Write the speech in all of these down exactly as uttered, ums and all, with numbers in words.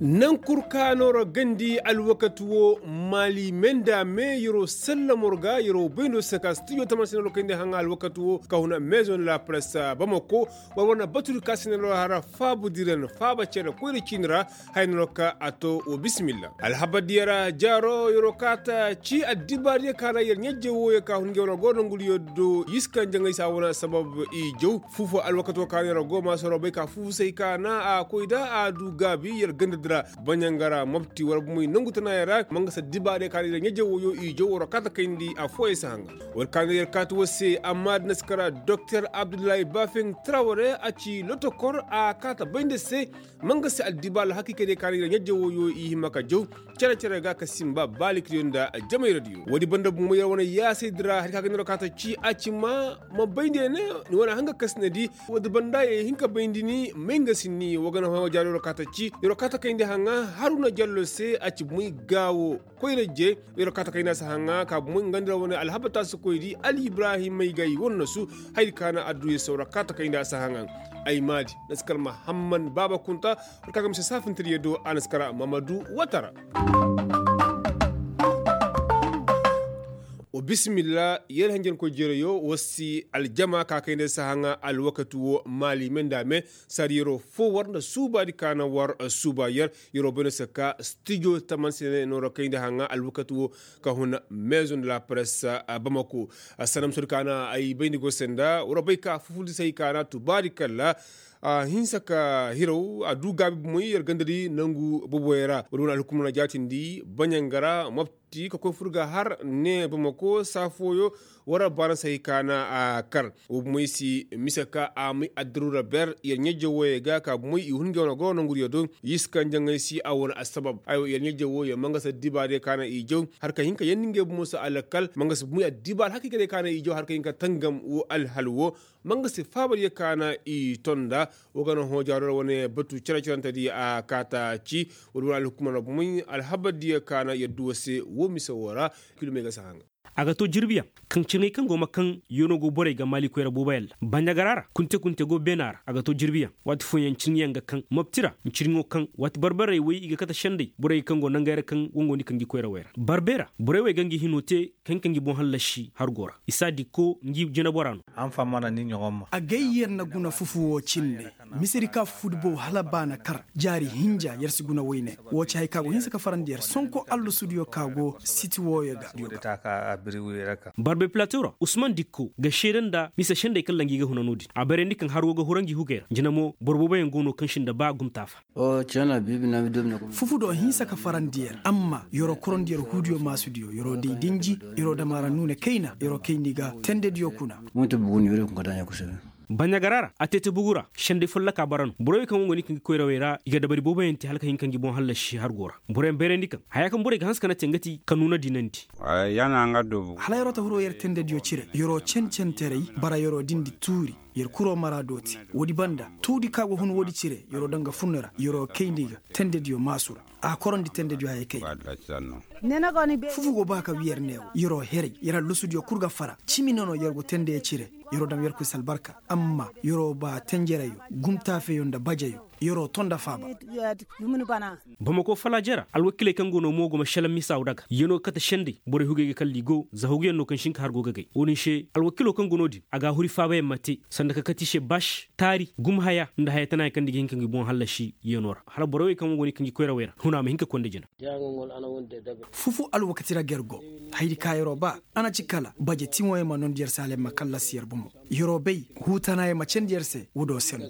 Nankur ka nooro gandi alwakati wo, maali menda me yer'o sallamor ga yer'o bayndo se ka stijo taman se nooro kayndi haŋa alwakati wo ka huna maison de la presse bamako. War wane batudi ka se nooro hara faabu diran faaba cere koyra ciini ra. Haya nooro ka a to wo bisimilla alhabar diya ra jaaro yer'o kaata ci addibaariyo ka ra yer ɲajje wooyo ka hun ga wane goro nanguriyo do yiskan jaŋay se a wane sabab i jaw. Fuufo alwakato ka no yer go ma soro bay ka fuufu se hay ka na a koy da a du gaabi yer ganda di ra. Baɲangara mopti war bumey nangu tanayaŋ ra ma nga se dibaarey ka no yer ɲaje wooyo i jaw war kaata kayndi affooyaŋ si haŋa. War ka no yer kaata war se amma da na si kara doktor abdullahi bafin traware a ci lotokor a kaata bayndi se. Ma nga se addibaal hakiikadiyo ka no yer ɲaje wooyo i hima ka jaw cere-cere ga ka sinba baalikadiyo nda jamayra diyo woodi banda bumey yer wane yaasay di ra hari ka ga ni ra kaata ci a ci ma ma bayndi ne ni wane hanga ka si na di. Woodi banda ye hin ka bayndi ni may nga si ni wa ga na hõ jaaro yer wo kaata ci yer wo kaata kayndi haŋa haruna jallo se a ci bumey gaawo koyra je. Yer wo kaata kayndi a si haŋa ka bumey nga nda ra wane alhabata si koy di ali ibrahim may ga i wane nasu. Hayri ka na adduya se war wo kaata kayndi a si haŋa. Ay maadi na si kar mahamman baaba kunta. War ka ga mise saafintiriyo do a na si kar mamadu watara. Wa bisimilla yer hanjankoy jereyo war si aljama ka kayndi a si haŋa alwakati wo maali me nda me. Saadi yeroo foo war nda suubaadi ka na war suuba yer yeroo bay no se ka stijo taman se ne nooro kayndi haŋa alwakati wo ka hun maison de la presse. Bamako sanam soodi ka na ay bayndi go se nda war bay ka fufudi se hay ka na tubaadi kalla. A hinsa ka hiraw a du gaabi bumey yer ganda di nangu boboyey ra woodi wane alhukumna jaatindi baɲanga ra mopti ka koy fur ga har ne bamako saa fooyo. War baana se hay ka na a kar wo bumey si mise ka a may addaruura ber yer ɲajje wooyey ga ka bumey i hun ga wane goro nanguriyo do. Yiskan jaŋay si a wane assabab ay wo yer ɲajje wooyey ma nga se dibaadiyo ka na i jaw har ka hin ka yandi ngey bumo se alkal ma nga se bumey addibaal hakiikadiyo ka na i jaw har ka hin ka tangam wo alhal wo. Ma nga se faabadiyo ka na i tonda. Wo ga na hõ jaaro ra wane batu cere-cerentediyo a kaata ci. Woodi wane alhukumar ra bumey alhabardiyo ka na yer du war se wo mise woo ra. Kilomey ga si haŋa. A ga to jirbiyaŋ kaŋ cirŋey kaŋ go ma kaŋ yeenoo go borey ga maalikoy ra booboyaŋ ra baɲagara ra kunte-kunte go beena ra a ga to jirbiyaŋ waati fooyaŋ cirŋiyaŋ ga kaŋ mopti ra. Cirŋo kaŋ waati barbarey wey i ga kate sendey borey kaŋ go nangey ra kaŋ go nga ni kaŋ gi koyrawey ra barbey ra borey wey ga ngi hinoo te kaŋ kaŋ gi boŋ hallasi hargo ra. Isa dikko ngi jineboraa no. Agay yer na guna fufu woo cindi. Misedi ka fufudi bow hala ba na kar jaari hinja yer si guna woyne. Woo ci hay ka go hinsa ka farandi yer sonko allasudiyo ka go siti wooyo ga. Barbey pilatew ra usman dikko ga seede nda mise sendey kaŋ ra ngi ga huna no-din a bayrandi kaŋ har woo ga hura ngi hugey ra jina mo boro booboyaŋ go no kaŋ si nda ba gumtaafa. Fufu do hinsa ka farandi yer amma yeroo korondi yer huudiyo maasudiyo yeroo day dinji yeroo dam a ra nuune kayna yeroo kayndi ga tendediyo kuna. Baɲagara ra a teete bugu ra sendey follokaa bara no borey wey kaŋ go nga ni kaŋ gi koyrawey ra i ga dabari booboyaŋ te hala ka hin ka ngi boŋ hallasi hargo ra. Boroyaŋ bayrandi kaŋ hayaa kaŋ borey ga hanse ka na te nga ti ka nuuna dinandi. Hala yeroo ta huroo yer tendediyo cire yeroo cen-centerey bara yeroo dindi tuuri. Yer kuroo maraadoo te woodi banda tuudi ka go hun woodi cire yeroo daŋ ga furne ra yeroo kayndi ga tendediyo maasu ra. A korondi tendediyo hayey kay. Fufu go ba ka wi yer neewo yeroo heray yer allosudiyo kul ga fara cimi nono yer go tendeyo cire. Yeroo daŋ yerkoy si albarka amma yeroo ba tenjereyo gumtaafeyo nda bajeyo yeroo to nda faaba. Bamako falaaje ra alwakiiley kaŋ go no mo go ma šelaŋ misaaw daga yeenoo ga kate sendey borey hugey ga kalli go za huguyaŋ no kaŋ si hin ka har go gagay wo-din se alwakiiloo kaŋ go no-din a ga a huri faabayaŋ ma te sanda ka kate i se baaši taari gumhaya nda haya tanayaŋ kaŋ nda i ga hin ka ngi boŋ hallasi yeenoo ra hala borey wey kaŋ go no i kaŋ gi koyrawey ra huna ma hin ka konda jina. Fufu alwakati ra ga yer go haydi ka yeroo ba a na ci kala baje tiŋoyaŋ ma noondi yer se hala yer ma kallasi yer bomo. Yeroo bay huutanayaŋ ma candi yer se wudoo sendu.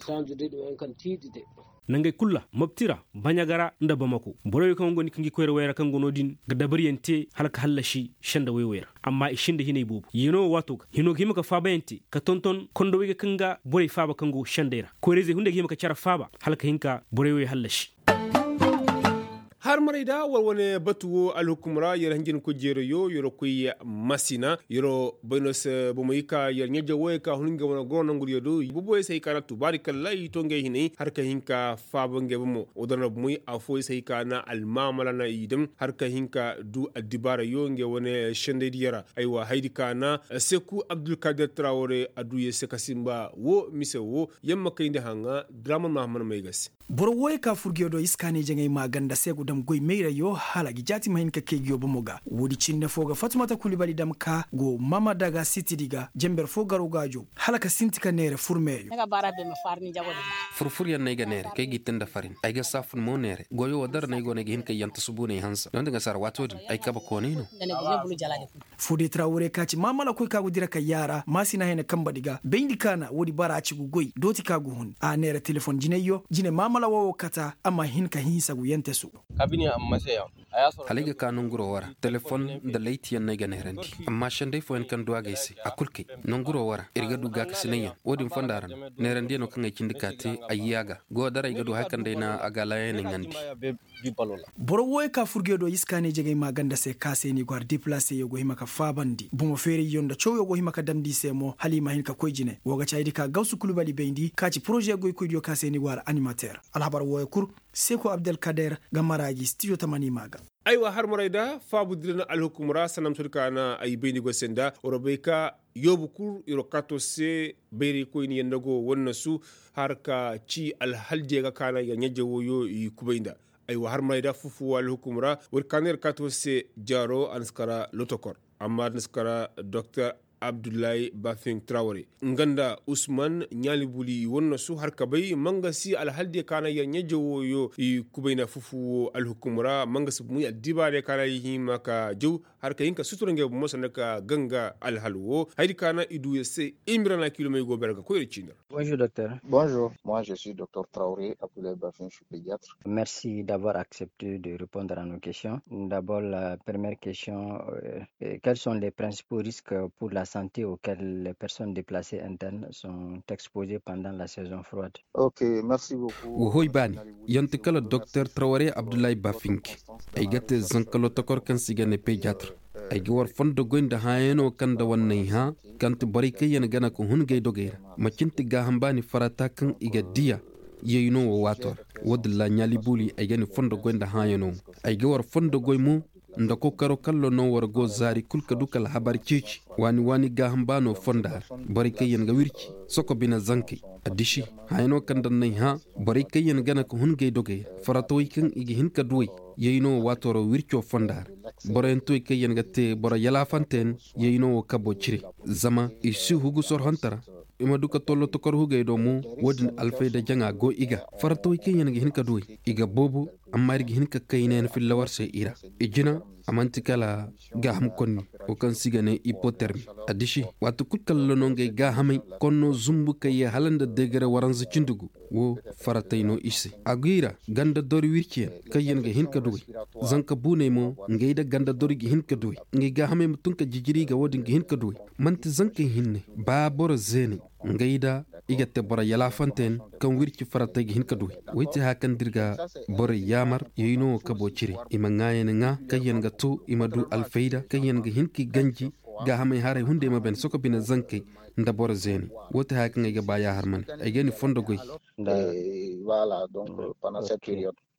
Nangey kul ra mopti ra baɲaga ra nda bamako borey wey kaŋ go no i kaŋ gi koyra wey ra kaŋ go no-din ga dabariyaŋ te hala ka hallasi senda wey wey ra. Amma i sinda hinay boobo yeenoo wo waatoo ga hinoo ga hima ka faabayaŋ te ka tonton kondowey ga kaŋ ga borey faaba kaŋ go sendey ra koyrayzey hunday ga hima ka cere faaba hala ka hin ka borey wey hallasi. Har maray da war wane batu wo alhukum ra yer hanjin ko jeerayo yer koy masina yer bay no se bomey ka yer ɲaje woyey ka hun ngey wane goro nanguriyo do boboyey se hay ka na tubaari kalla i to ngey hinay har ka hin ka faaba ngey bomo wo dara na bomey afooyey se hay ka na almaamala na i dam har ka hin ka du addibaarayo ngey wane sendaydiyo ra. Aywa haydi ka na seku abdulkadir tarawore a du yer se ka sinba wo mise wo yamma kayndi haŋa draman mahammad may ga se. Boro wooyey ka furguyo do iskaaney jaŋay maa ganda se go dam goy mayrayo hala gi jaati ma hin ka kay nguyo bomo ga woodi cindi foo ga fatumata kulibali dam ka go mamadaga sitidi ga jenber foo garo gaajo hala ka sinti ka neere furmeyo. Furfuryaŋ no ay ga neere kay g'i te nda farin ay ga saafun mo neere goyo wo dara no ay go no ay ga hin ka yanta subuuney hansa donda nga sara waato din ay kabe koonay no. Fodey tarawure ka ci maamala koy ka go dira ka yaara maasina hene kambadi ga bayndi kaana woodi bara a ci gu goy dooti ka gu hun a neera telefon jinayyo jine maamala woo wo kata a ma hin ka hinsa gu yante su. Hala ay ga ka nonguro woo ra telefon nda laytiyaŋ no ay ga neerandi amma sendey fooyaŋ kaŋ du a ga ay se a kul kay nonguro woo ra ir ga du gaakasinayyaŋ woo din fonda ra no neerandiyaŋo kaŋ ay cindi ka te ay yaaga go dara ay ga du haya kaŋ day na a ga laayaney ŋandi. Boro wooyo ka furge do iskaaney jegey maa ganda se ka se ni go har deplaseyo go hima ka faabandi bomo feerayyo nda cawyo go hima ka damndi i se mo hala i ma hin ka koy jine woo ga ci haydi ka gawsu kulu bali bayndi ka ci poroze goykoydiyo ka se ni go har animater alhabar wooyo kul. Seko abdelkader ga mara gi stijo tamani maa ga. Aywa har maray da faabu dira na alhukum ra sanda ma soodi ka na ay bayndi go se nda war bay ka yoobu kul yer wo kaato se bayraykoyni yaŋ nda go wannasu har ka ci alhaldiya ga ka na yer ɲaje wooyo i kubay nda. Aywa har maray da fufu woo alhukum ra woodi ka na yer kaato se jaaro a na si kara lotokor amma a na si kara doktor abdullahi bafin traware nga nda usman ɲaalibuli i wannasu har ka bay ma nga si alhaldiya ka na yer ɲaje wooyo i kubay nda fufu woo alhukum ra ma nga si bumuy addibaarey ka na i hima ka jaw har ka hin ka sutura ngey bomo sanda ka ganga alhal woo hayadi ka na i du yer se. Imira na kiilomey go bere ga koy yer ciini ra. Bonjour. Moi je suis docteur traoré abdoulaye bafin, je suis pédiatre. Merci d'avoir accepté de répondre à nos questions. D'abord la première question, quels sont les principaux risques pour la santé auxquels les personnes déplacées internes sont exposées pendant la saison froide? Wa hoy baani, yonti kala doktor traware abdullahi bafinki. Ay ga te zanka lotokor kaŋ se i ga ne pediatre. Ay ga war fondo goy nda hãayanoo kaŋ nda war n'ay hã, kaŋ ti borey kaŋ yaŋ gana ka hun gay dogey ra. Macin ti gaaham baani farata kaŋ i ga diya. Yay no wo waato ra. Woodin ra ɲaali buuli ay ga ni fondo goy nda hãayanoo mo. Ay ga war fondo goy mo, nda kokaroo kallo no war go zaari kul ka du ka alhabar ceeci. Waani waani gaaham baanoo fonda ra. Borey kaŋ yaŋ ga wirci soko bine zankey. Addiši, hãyanoo kaŋ nda n'ay hã, borey kaŋ yaŋ gana ka hun gay dogey ra faratawey kaŋ i ga hin ka duw'ey. Yay no wo waatoo ra wircoo fonda ra. Boroyaŋ tuwey kaŋ yaŋ ga te boro yalaafante yaŋ. Yay no wo kaboo cire. Zama i si hugu sorhonte ra. I ma du ka tollo tokor hugey do mo. Woodin alfayda jaŋa go i ga. Faratawey kaŋ yaŋ ga hin ka duw'ey, i ga boobo. Amma ir ga hin ka kayna yaŋ filla war se i ra. I jina, a man'ti kala gaaham konni, wo kaŋ se i ga ne ipotermi. Addiši, waati kul kalla no ngey gaahamey konno zumbu ka yee hala nda deegare waranza cindi gu. Wo faratey no i se. A go i ra ganda dori wirciyaŋ kaŋ yaŋ ga hin ka duw'ey. Zanka buuney mo, ngey nda ganda dori ga hin ka duw'ey. Ngey gaahamey ma tun ka jijiri ga woodin ga hin ka duw'ey. Man'ti zankey hinne, ba boro zeeney. Ngey da i ga te boro yalaafante yaŋ kaŋ wirci faratey ga hin ka duw'ey. Woy ti haya kaŋ da ir ga borey yaamar. Yay no wo kaboo cire, i ma ŋaayan ŋaa kaŋ yaŋ ga to i ma du alfayda kaŋ yaŋ ga hin k'i ganji. Gaahamey haray hunday ma ban soko bine zankey nda boro zeeney. Woo ti haya kaŋ ay ga ba yaahar ma ne ay ga ni fondo goy.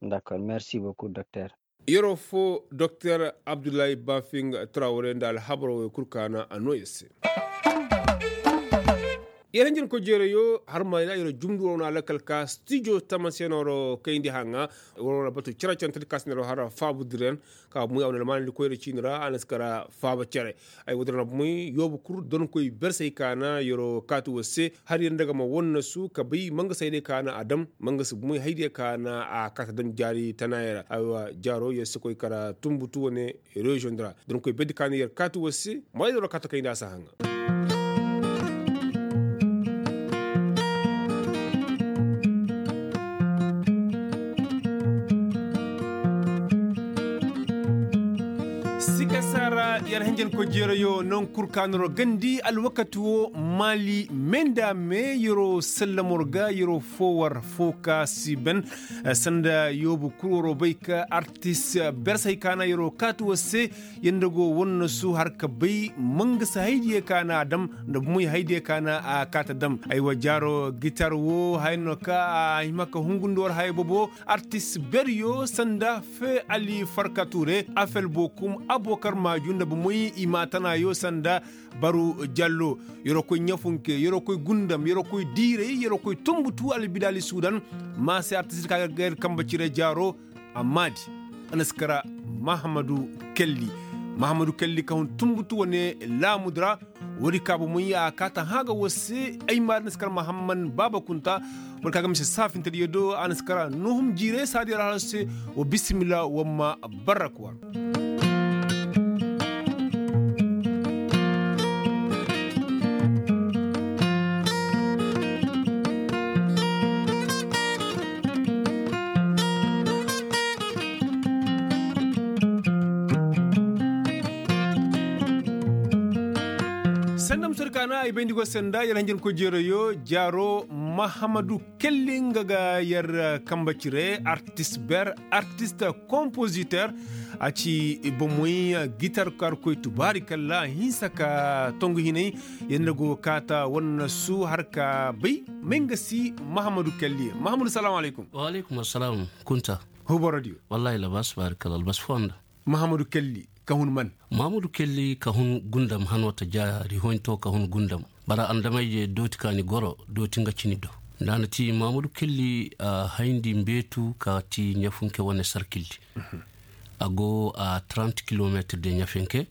Dakor, merci beaucoup doktor. Yeroo foo doktor abdullahi bafing trawre nda alhabaroo wey kul kaana a noo yer se. Yer hinjinkoy jeerayo har ma yer jumdu war wane alakal ka stijo tamaseenoo ra kayndi haŋa. War wane batu cere cere tadi ka si ne ra har faabu diren ka bumey a wane almaanandi koyra ciini ra a na si kara faaba cere. Ay woodin ra bumey yoobu kul donkoy bersey kaana yeroo kaati war se. Har yer nda ga ma wannasu ka bay mangasa haydiya kaana a dam mangasa bumey haydiya kaana a kaati a dam jaari tanaayey ra. Aywa jaaro yer si koy kara tunbutu wane reziyoŋ di ra. Donkoy berdi kaana yer kaati war se. Maayda war kaati kayndi a si haŋa. Sikasa ra Yer hanjankoy jeerayo non kul ka noro gandi alwakati wo maali me nda me yeroo sallamor ga yeroo foo war foo ka si ben. Sanda yoobu kul waroo bay ka artis bersey ka na yeroo kaati war se. Yer nda go war na su har ka bay mangasa haydiyo ka na a dam nda bomoy haydiyo ka na a kaati a dam. Aywa jaaro gitar wo haya no ka a hima ka hungundi war haya boobo. Artis beryo sanda fe ali farka ture afel bokum abokar maaju nda bomoy i ma tanayo sanda baru jallo. Yeroo koy ɲafunke yeroo koy gundam yeroo koy diiray yeroo koy tumbutu albidaali sudan. Ma se artis ka ga yer kambe cire jaaro. Amma di a na si kara mahamadu kelli. Mahamadu kelli ka hun tumbutu wane laamudu ra. Woodi ka bomoy a kaata hã ga war se ay ma a na si kara mahamman baaba kunta. Boro ka ga mise saafintediyo do a na si kara nuhum jiire saadiyo ra hala se. Wa bisimilla war ma barrak war. Sanda musadi ka na ay bayndi go sanda yar hanjankoy jeerayo jaaro mahamadu kelli nga ga yar kambe cire artis ber artis kompositer. A ci bomoy gitar ka har koy tubaari kalla a hinsa ka tongu hinay. Yar nda go kaata war na su har ka bay may nga si mahamadu kelli mahamadu salaamu alaykum. Wa alaykum assalaam. Kunta huborodiyo. Wallaahi labas baari kalla albas foo nda. Mahamadu kelli ka hun man. Mahamadu kelli ka hun gundam hanoo ta ja rihoyntoo ka hun gundam. Bara andamay je dooti ka ni goro dooti nga cini do. Nda a na ti mahamadu kelli a hayndi mbeetu ka ti ɲafunke wane sarkildi. A go a trant kilometir de ɲafunke.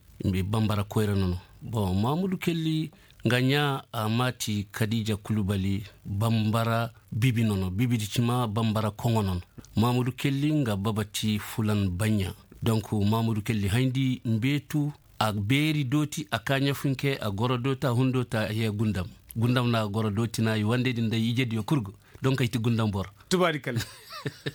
Bambara koyra nono. Bon mahamadu kelli nga ɲaa a maati kadiija kulubali. Bambara bibi nono bibidi cima bambara koŋo nono. Mahamudu kelli nga baba ti fulan baɲɲa. Donk mahamudu kelli hayndi mbeetu. A beeri dooti a kaa ɲafunke a goro dooti a hun dooti a yee gundam. Gundam na a goro dooti na i wandey din day ijediyo kul go. Donk ay ti gundam boro. Tubaari kalla.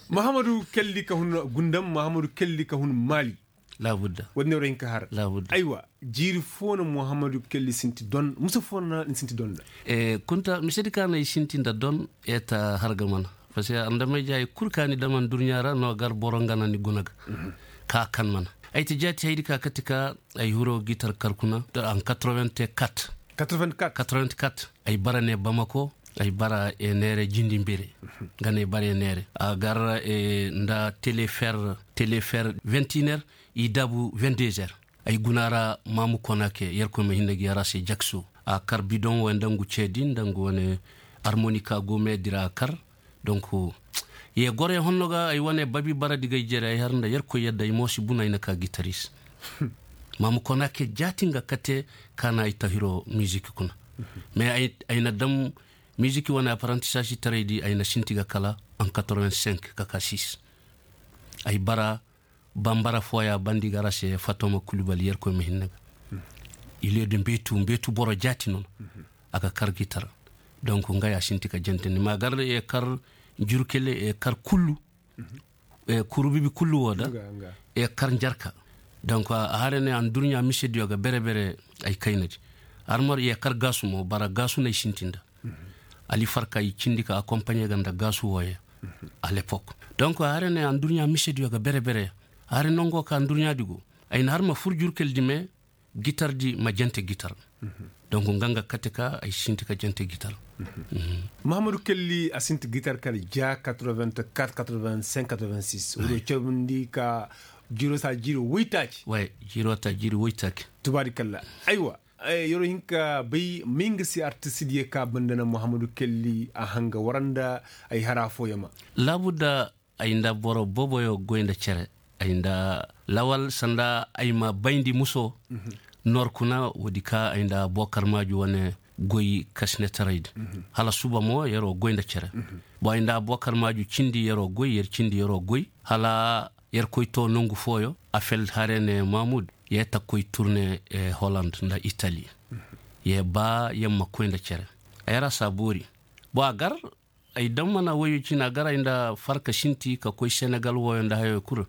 Mahamudu kelli ka hun gundam mahamudu kelli ka hun maali. Laabudda. Woo din ne war hin ka har. Laabudda. Aywa. Jiiri foo no muhammadu kelli sinti don musa foo no ni sinti don nda. Kunta misedi ka no i sinti nda don. Eta har ga mana. Parceque andamay ja i kul ka ni dam andurɲa ra no gar boro nga na ni guna ga. Ka kan mana. Ay ti jaati haydi ka kati ka ay hiro gitar kar kuna an quatre-vingt-quatre. Quatre-vingt-quatre. Ay bara ne bamako. Ay bara e neere jindi mbere. Nga ne ay bara e neere a gar nda telefer. Telefer vingt-et-une heures. I dabu vingt-deux heures. Ay guna ra maamu kona ke yerkoy ma hinne ga yara se jakso. A kar bidon wo nda ngu ceedi nda ngu wane armonika go meedi ra a kar. Donk ye goro ye honno ga ay wane babi bara di ga ay jere ay har nda yerkoy yadda ay mo si bunu ay na ka gitaris. Maamu kona ke jaati nga kate ka na ay tahiro mizik kuna. Mais ay na dam mizik wane aparantisasi taray di ay na sinti ga kala en quatre-vingt-cinq ka ka six. Ay bara bambara fooya bandi ga ra se fatoma kulubali yerkoy ma hinne ga. Ileedu mbeetu mbeetu boro jaati nono. A ga kar gitar. Donk nga ya sinti ka jantandi ma gar ye kar jurkele ye kar kullu. Kuru bibi kullu woo da. Ye kar njarka. Donk a hare ne andurɲa misediyo ga bere bere. Ay kaynadi. Armar ye kar gaasu mo bara gaasu no ay sinti nda. Ali farka i cindi ka akompaɲe ga nda gaasu wooye. A lepok. Donk a hare ne andurɲa misediyo ga bere bere. A hare nongo ka andurɲa di go. Ay na har ma fur jurkel di me. Gitar di ma jante gitar. Donk nga nga kate ka ay sinti ka jante gitar. Mahamadu kelli a sinti gitar kala ja quatre-vingt-quatre, quatre-vingt-cinq, quatre-vingt-six wuro cawundi ka. Jiiro sa jiiri woytaaci. Jiiro ta jiiri woytaaci. Tubaari kalla. Aywa. Yeroo hin ka bay may nga si artist diyo ka banda na muhammadu kelli a hanga war nda ay hara fooyama. Laabudda. Ay nda boro booboyo goy nda cere. Ay nda lawal sanda ay ma bayndi muso. Noor kuna woodi ka ay nda bookar maaju wane goy kasinetaray di. Hala suba mo yeroo goy nda cere. Bo ay nda bookar maaju cindi yeroo goy yer cindi yeroo goy hala yer koy too nongu fooyo. Afel hare ne maamud. Ye ta koy turne holand nda itali. Ye ba yer ma koy nda cere. Ay ra saa boori. Bo a gar. Ay daŋ mana woyo cina gar ay nda farka sinti ka koy senegal woyo nda hayo kul.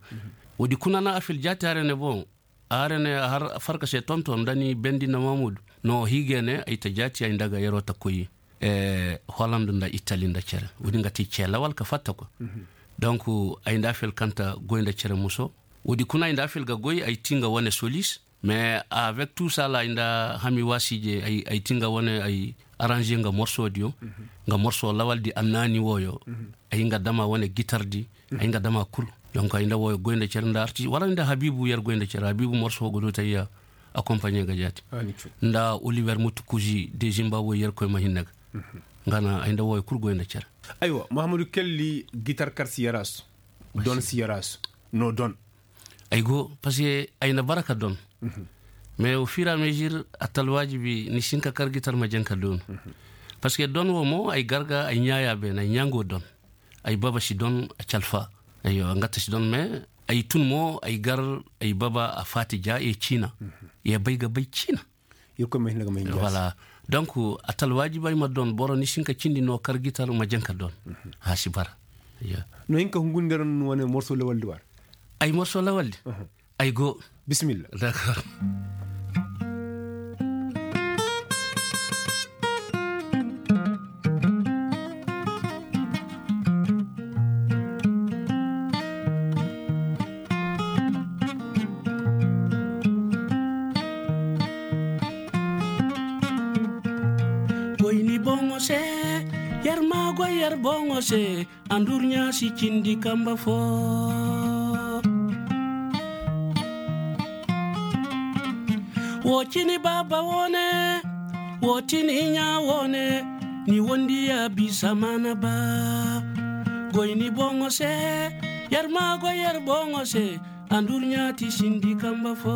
Woodi kuna na afil jaati hare ne boŋ. Arenee har farka se tonton nda ni bendi nda mamudu no hiige ne ay ta jaati ay nda ga yeroo ta koy. Holand nda itali nda cere woodi nga ti cee lawal ka fatta kwa. Donk ay nda afel kaŋ ta goy nda cere muso woodi kuna ay nda afel ga goy ay ti nga wane solis. Mais avec tuu sala ay nda hami waasi je ay ti nga wane ay aranze nga morso diyo nga morso lawal di annaani wooyo. Ay nga dama wane gitar di ay nga dama kul. Donk ay nda wooyo goy nda cere nda artis wala ay nda habiibu yer goy nda cere habiibu morso go dooti ay ya akompaɲe ga jaati nda oliver mutu kuzi de zimba wooyo yer koy ma hinne ga. Nga na ay nda wooyo kul goy nda cere. Aywa mahamadu kelli gitar kar si yarasu don si yarasu no don. Ay go parce que ay na bara ka don. Mais au fur et à mesure a ta alwaajibi ni si hin ka kar gitar ma jaŋ ka don. Parce que don wo mo ay gar ga ay ɲaaya beene ay ɲaŋo don. Ay baba si don a calfa. Aywa nga ta si don mais ay tun mo ay gar ay baba a faati ja ye ciina. Ye bay ga bay ciina. Irkoy ma hin ga ma hin jaasi. Voilà. Donc a ta alwaajibi ay ma don boro ni si hin ka cindi no kar gitar ma jaŋ ka don. A si bara. No hin ka hungundi ra no wane morso lawaldi war. Ay morso lawaldi. Ay go. Bisimilla. D'accord. Goy ni boŋo se. Yer ma goy yer boŋo se. Andurɲa si cindi kamba fo. Wo cini baaba woone. Wo cini ɲa woone. Ni wondi ya bisa mana ba. Goy ni boŋo se. Yer ma goy yer boŋo se. Andurɲa ti sindi kamba fo.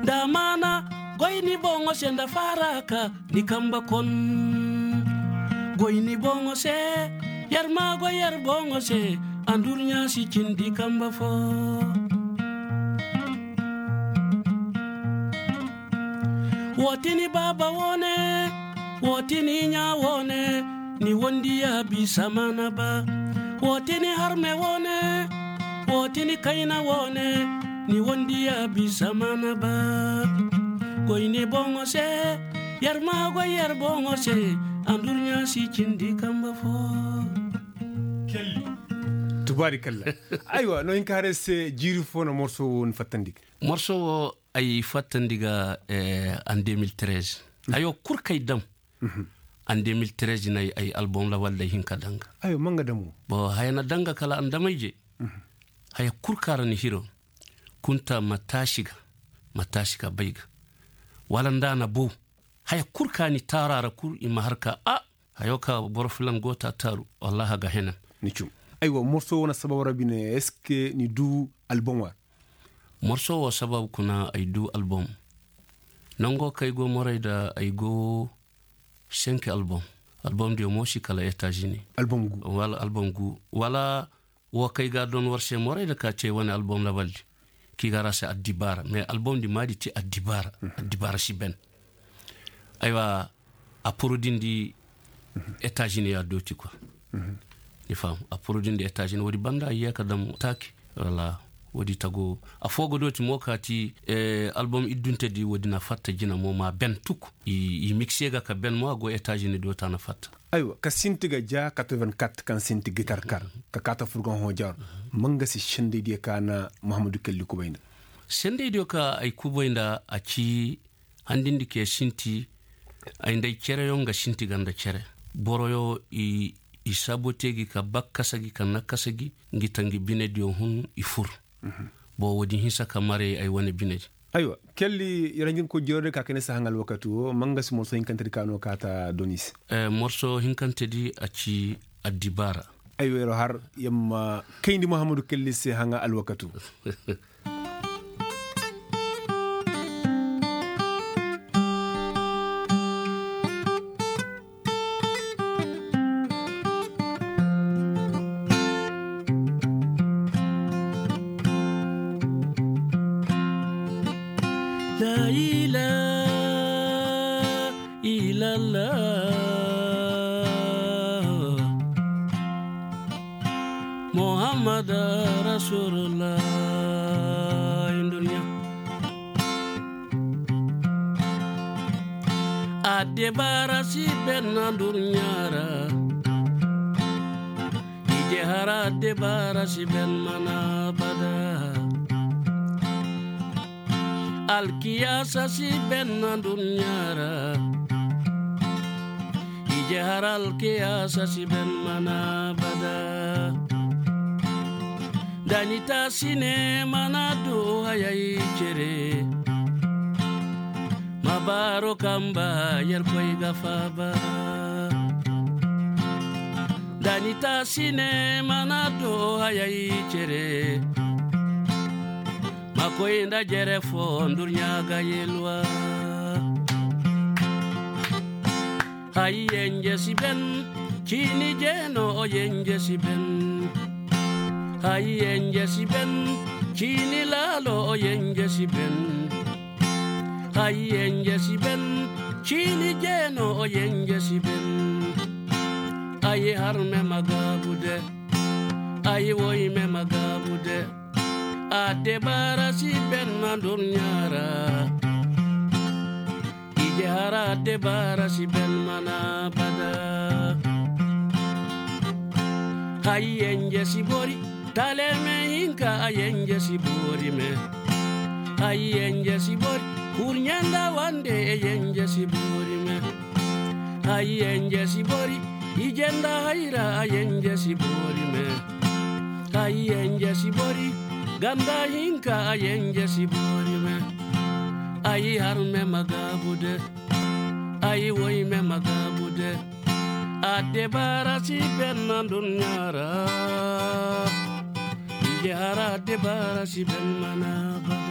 Nda maana goy ni boŋo se nda faaraka ni kamba kon. Goy ni boŋo se. Yer ma goy yer boŋo se. Andurɲa si cindi kamba fo. Wo tini baaba woone. Wo tini ɲa woone. Ni wondi ya bisa mana ba. Wo tini harme woone. Wo tini kayna woone. Ni wondi ya bisa mana ba. Goy ni boŋo se. Yer ma goy yer boŋo se. Andurɲa si cindi kamba fo. Tubaari kalla. Aywa no hin ka haray se jiiri fo na morso wo ni fattandi ga. Morso wo ay fattandi ga. An deux mille treize hayo kul kay dam. An deux mille treize na ay album lawal day hin ka danga. Ayo manga damo. Bo haya na danga kala an damay je. Haya kul ka ra ni hiro. Kunta ma taasi ga ma taasi ka bay ga. Wala nda na bow. Haya kul ka ni taara ra kul i ma har ka a. Hayo ka boro filan go ta taaru. Wallahi a ga henan. Ni cum. Aywa morso wane sabab ra bine est-ce que ni du album war? Morso wo sabab kuna ay du album. Nango kay go moray da ay go senki album. Album diyo mo si kala etazini. Album gu wala album gu wala. Wo kay ga don war se moray da ka ce wane album labaldi. Ki ga ra se addibaara mais album di maadi ti addibaara. Addibaara si ben. Aywa a porodin di etazini ya dooti kwa. Ni fam a porodin di etazini woodi banda a yee ka dam taaki. Wala woodi tago a foo ga dooti mo ka ti album iddunte di woodi na fatta jina mo ma ben tuk. I mikse ga ka ben mo a go etazini doota na fatta. Aywa ka sinti ga ja quatre-vingt-quatre kaŋ sinti gitar kar ka kaata furgan hoojar. Manga si sendey diyo ka na mahamadu kelli kubay nda. Sendey diyo ka ay kubay nda a ci handindi ke sinti. Ay nda ay cereyo nga sinti ganda cere boroyo i saabote gi ka bakkasa gi ka nakkasa gi. Ngi tangi binediyo hun i fur. Bo woodi hinsa ka maray ay wane binedi. Aywa kelli ranjin ko jeerode ka kayna si haŋ alwakati wo manga si morso hinkantedi ka no kaata doni se. Morso hinkantedi a ci addibaara. Aywa yer har yer ma kayndi mahamadu kelli se haŋa alwakati wo. Addebaara si ben na durɲa ra. Ije hara addebaara si ben mana bada. Alkiyaasa si ben na durɲa ra. Ije hara alkiyaasa si ben mana bada. Da ni taasi ne mana du hayay cere. Ma baaro kamba yerkoy ga faaba. Da ni taasi ne mana du hayay cere. Ma koy nda jere fo ndurɲa ga yelwa. Hay yenje si ben, ciini jeeno o yenje si ben. Hay yenje si ben, ciini laalo o yenje si ben. Hay yenje si ben, ciini jeeno o yenje si ben. Ay harme ma gaabu de, ay woyme ma gaabu de. Addebaara si ben na durɲa ra. Ije hara addebaara si ben mana bada. Hay yenje si bori, taleme hinka a yenje si bori me. Hay yenje si bori, kurɲe nda wande e yenje si bori me. Hay yenje si bori, ije nda hayra a yenje si bori me. Hay yenje si bori, ganda hinka a yenje si bori me. Ay harme ma gaabu de, ay woyme ma gaabu de. Addebaara si ben na durɲa ra. Ije hara addebaara si ben mana bada.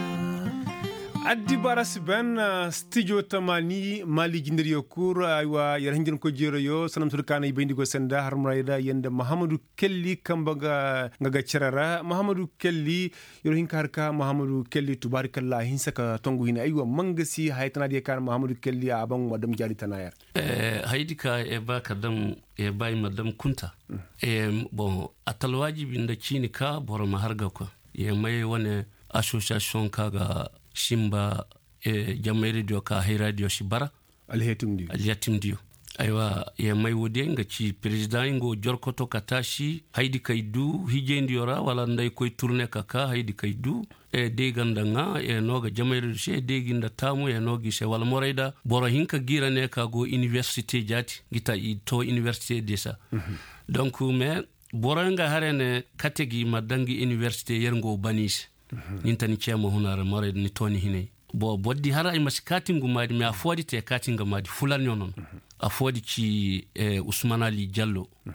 Addibaara si ben, ah, stijo tamaani, Maali jindiriyo kul, aywa, yer hinjankoy jeerayoo, sanda mate kaŋ ay bay nda i go senda, har murayda, yer nda Mahamadu Kelli, kamba nga, nga ga cere ra. Mahamadu Kelli, yer wo hin ka har ka Mahamadu Kelli, tubaarikalla, a hinsa ka tongu hina. Aywa, ma nga si haya tana diyo kaŋ Mahamadu Kelli, a ban wa dam jaari tana yer. Eh, hayadi ka, eh, ba ka dam, eh, ba i ma dam kunta. Mm. Eh, bon, a ta alwaajibi nda ciini ka boro ma har ga koy. Ye may wane asosiyasiyoŋ ka ga simba, eh, jamay rediyo ka hay radiyo si bara. Alyatimdiyo. Alyatimdiyo. Aywa, ye may woodiyo nga ci perezidaŋ nga wo jorkoto ka taasi hayadi kay du hijaydiyo ra wala nda ay koy turne ka ka hayadi kay du. Eh, day ganda ŋaa, eh, no ga jamay rediyo se day gi nda taamu, eh, no gi se wala morayda boro hinka giira ne ka go iniwersite jaati gi ta i to iniwersite desa. Mhm. Donk mais boro nga hare ne kate gi ma daŋ gi iniwersite yer nga wo bani se. Mhm. Nin ta ni cee ma huna ra morayda ni to ni hinay. Bo bordi hara ay ma si kaati ngu maadi mais affoodi te kaati nga maadi fulanyo nono. Mhm. Affoodi ci, eh, usman ali jallo. Mhm.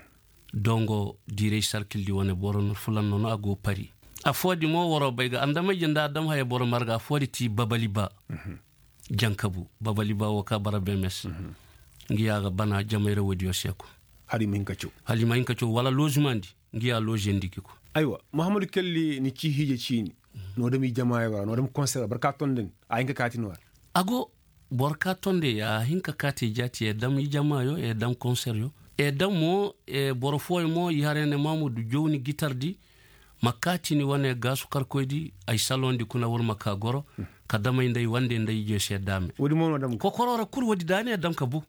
Dongo diiray sarkildi wane boro no fulan nono a go pari. Affoodi mo woro bay ga andamay janda adam haya boro marga affoodi ti babali ba. Mhm. Jankabu babali ba wo ka bara bemes. Mhm. Ngi ya ga bana jamay ra woodiyo se ko. Hali ma hin ka caw. Hali ma hin ka caw wala lozimandi. Ngi ya loziyandi gi ko. Aywa, mahamadu kelli ni ci hiije ciini. No dam i jamaayo ra no dam konser ra barka tondani. A hin ka kaati no ra. A go. Boro ka tonde ya hin ka kaati jaati ya dam i jamaayo ya dam konseryo. Ya dam mo. Boro fooyo mo i harayne mamudu jowni gitardi. Ma kaati ni wane gaasu karkoydi ay salondi kuna wala ma ka goro. Ka damay nda ay wande nda ay jee se daame. Kokoro ra kul woodi daani ya dam ka bu.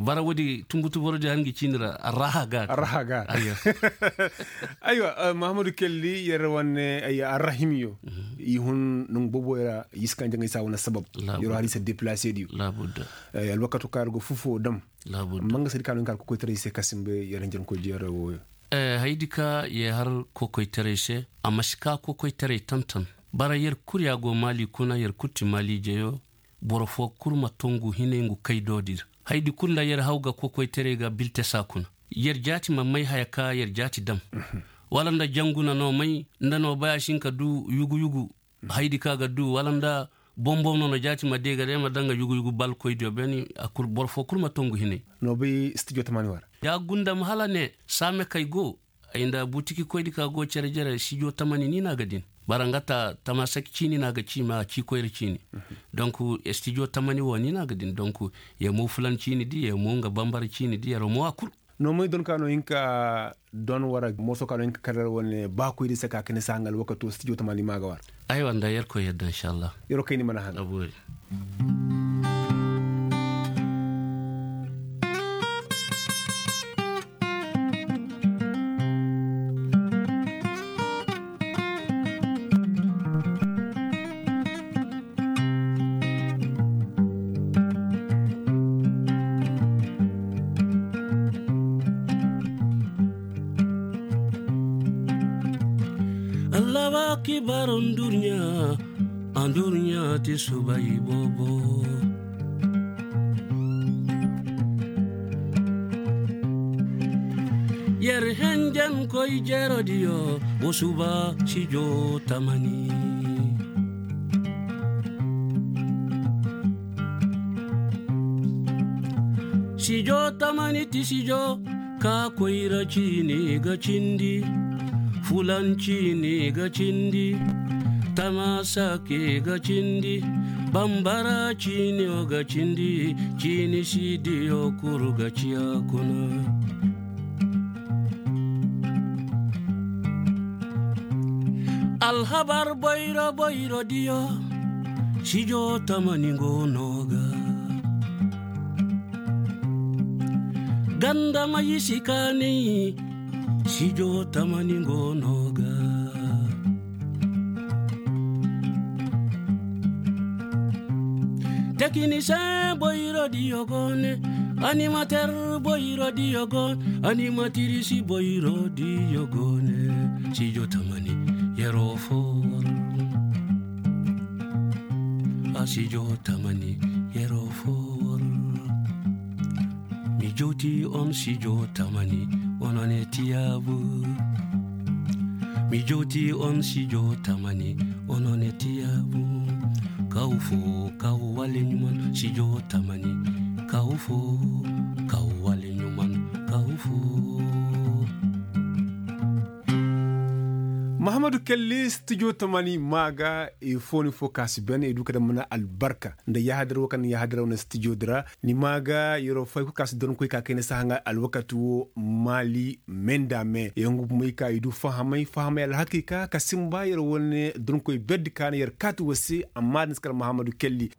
Bara woodi tungutu borodi han ngi ciini ra arraha gaari. Aywa. Mahamadu kelli yer wane arrahimiyo. I hun nongu boboyo ra i si kaŋ jaŋay saa wane sabab. Yer wo har i se deplase diyo. Alwakato kaŋ yer go fufo dam. Amma nga sadi kaŋ no nga har kokoytaray se ka simba yer hinjankoy jeera wooyo. Hayadi ka ye har kokoytaray se. A ma si ka kokoytaray tantan. Bara yer kul ya go maali kuna yer kul ti maali jeyo. Boro foo kul ma tongu hinay ngu kaydoodi ra. Hayadi kul nda yer haw ga kokoytaray ga biltesa kuna. Yer jaati ma may haya ka yer jaati dam. Wala nda janguna no may nda no bay a si hin ka du yugu yugu. Hayadi ka ga du wala nda bomboŋ no no jaati ma deega day ma daŋ ga yugu yugu balkoydiyo beeni. Boro foo kul ma tongu hinay. No bay stijo tamani wara. Ya gundam hala ne saame kay go. Ay nda butikikoydi ka go cere jere stijo tamani ni no a ga din. Bara nga ta tamasaki ciini no a ga ci ma a ci koyra ciini. Donk stijo tamani wo ni no a ga din donk. Ye mo fulan ciini di ye mo nga bambara ciini di yer mo a kul. Noomay don ka no hin ka don war morso ka no hin ka kar wane baakoy di se ka kani se haŋ alwakato stijo tamaani ma ga war. Aywa nda yerkoy yadda inshallah. Yeroo kay ni mana haŋ. Allahu akibar. Ndurɲa, ndurɲa ti subay boobo. Yer henjen koy jerodiyo wo suba sijo tamani. Sijo tamani ti sijo ka koyra ciini ga cindi. Fulan ciini ga cindi. Tamasake ga cindi. Bambara ciiniyo ga cindi. Ciini sidiyo kuru ga ciya kuna. Alhabar boyro boyro diyo sijo tamani go no ga. Ganda ma yisi kaani sijo tamani go no ga. Tekinisiyeŋ boyro diyo go ne. Animater boyro diyo go ne. Animatirisi boyro diyo go ne. Sijo tamani yeroo fo war. A sijo tamani yeroo fo war. Mi jowti on sijo tamani. Ono ne tiyaabu. Mi jowti on sijo tamani. Ono ne tiyaabu. Kaw fo kaw wale ɲuman sijo tamani. Kaw fo kaw wale ɲuman. Kaw fo. Mahamadu kelli stijo tamani ma ga. Fooni fo ka si ben i du ka daŋ mana albarka nda yahadar wo kaŋ na yahadar wane stijo di ra. Ni ma ga yeroo fay kul ka si donkoy ka kayna si haŋa alwakati wo maali me nda me yaŋ ga bumey ka i du fahamay fahamay alhakiika ka sinba yer wane donkoy berdi ka na yer kaati wo se. Amma da ni si kar mahamadu kelli.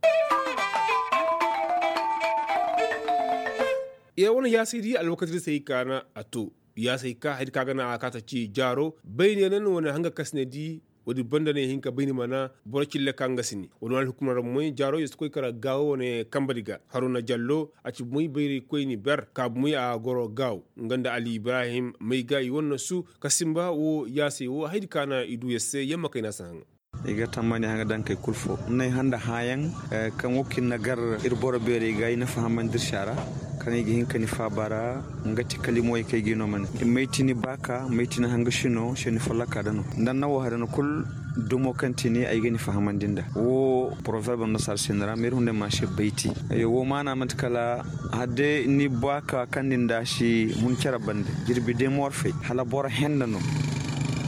Yer wane yaasay di alwakati di se i kaana a to. Yaasay ka haydi ka ga na a kaata ci jaaro bayne na ni wane hanga kasine di. Woodi banda ne hinka bayni mana boro cille ka nga si ni woodi wane alhukumar ra moy jaaro yeesu koy kara gaawo wane kamba di ga haruna jallo a ci moy bayray koyni ber ka moy a goro gaawo. Nga nda ali ibrahim may ga i wane su ka sinba wo yaasay wo haydi ka na i du yar se yamma kayna si haŋa. I ga tammani haŋa daŋ kay kul fo n'ay handa hãyaŋ kaŋ wo kaŋ i na gar ir boro beeray ga i na fahamandi ir se a ra. Kaŋ i ga hin ka ni faaba ra nga ti kalimoy kaŋ i ga i no mane. May ti ni baaka may ti ni hanga sino se ni folloka da no nda ni na wo hada no kul. Dumo kaŋ ti ni ay ga ni fahamandi nda wo poroverb no sar se ni ra ma ir hunday ma se bayti. Wo maana manti kala hadde ni baaka kaŋ ni nda si hun cere bande jirbi day ma war fay hala boro henne no.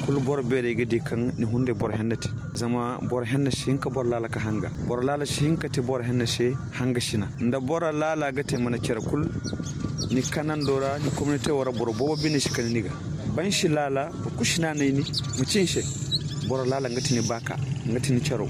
Kulu boro beeray ga di kaŋ ni hunday boro henne te. Zama boro henne si hin ka boro laala ka hanga boro laala si hin ka te boro henne se. Hanga sina nda boro laala ga te mana cere kul. Ni kanando ra ni kominite wo ra boro boobo bine si kani ni ga. Ban si laala boro kul si naanay ni ma ci ni se. Boro laala nga ti ni baaka nga ti ni cero.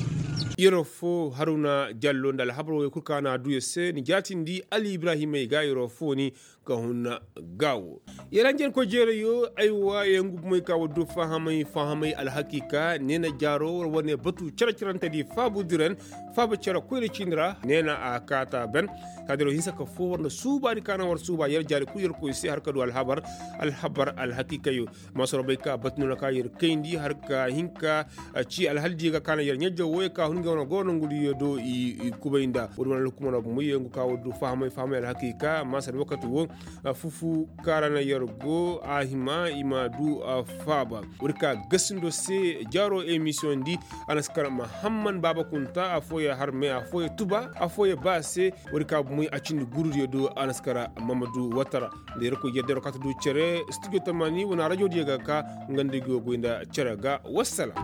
Yeroo fo haruna jallo nda alhabar wo kul ka na a du yer se ni jaatindi ali ibrahimey ga yeroo fo ni ka hunna gaawo. Yaranjankoy jeerayo aywa yaŋ ga bumey ka war du fahamay fahamay alhakiika neena jaaro war wane batu care carante di faabu diran. Faaba care koyne ciini ra neena a kaata ben. Kaadiro hinsa ka fo war na suubaani ka na war suuba yer jaari kul yer koy se har ka du alhabar. Alhabar alhakiikayo. Maasoro bay ka batu no na ka yer kayndi har ka hinka. Ci alhaldiyo ga ka na yer ɲajjaw wo ye ka hun ga wane go nongudiyo do i kubay nda woodi wane alhukumano bumey yaŋ ga ka war du fahamay fahamay alhakiika maasar wakati wo. Fufu kaŋ ra na yer go a hima i ma du. Faaba woodi ka gasindo se jaaro emisiyoŋ di. A na si kar mahamman baaba kunta afooyaŋ har me afooyaŋ tuba afooyaŋ ba se. Woodi ka bumey a cindi gurudiyo do a na si kar mamadu watara. Nda yerkoy yadda yeroo kaŋ a ta du cere studio tamani wane rajodiyo ga ka. Nga nda i go goy nda cere ga wassalam.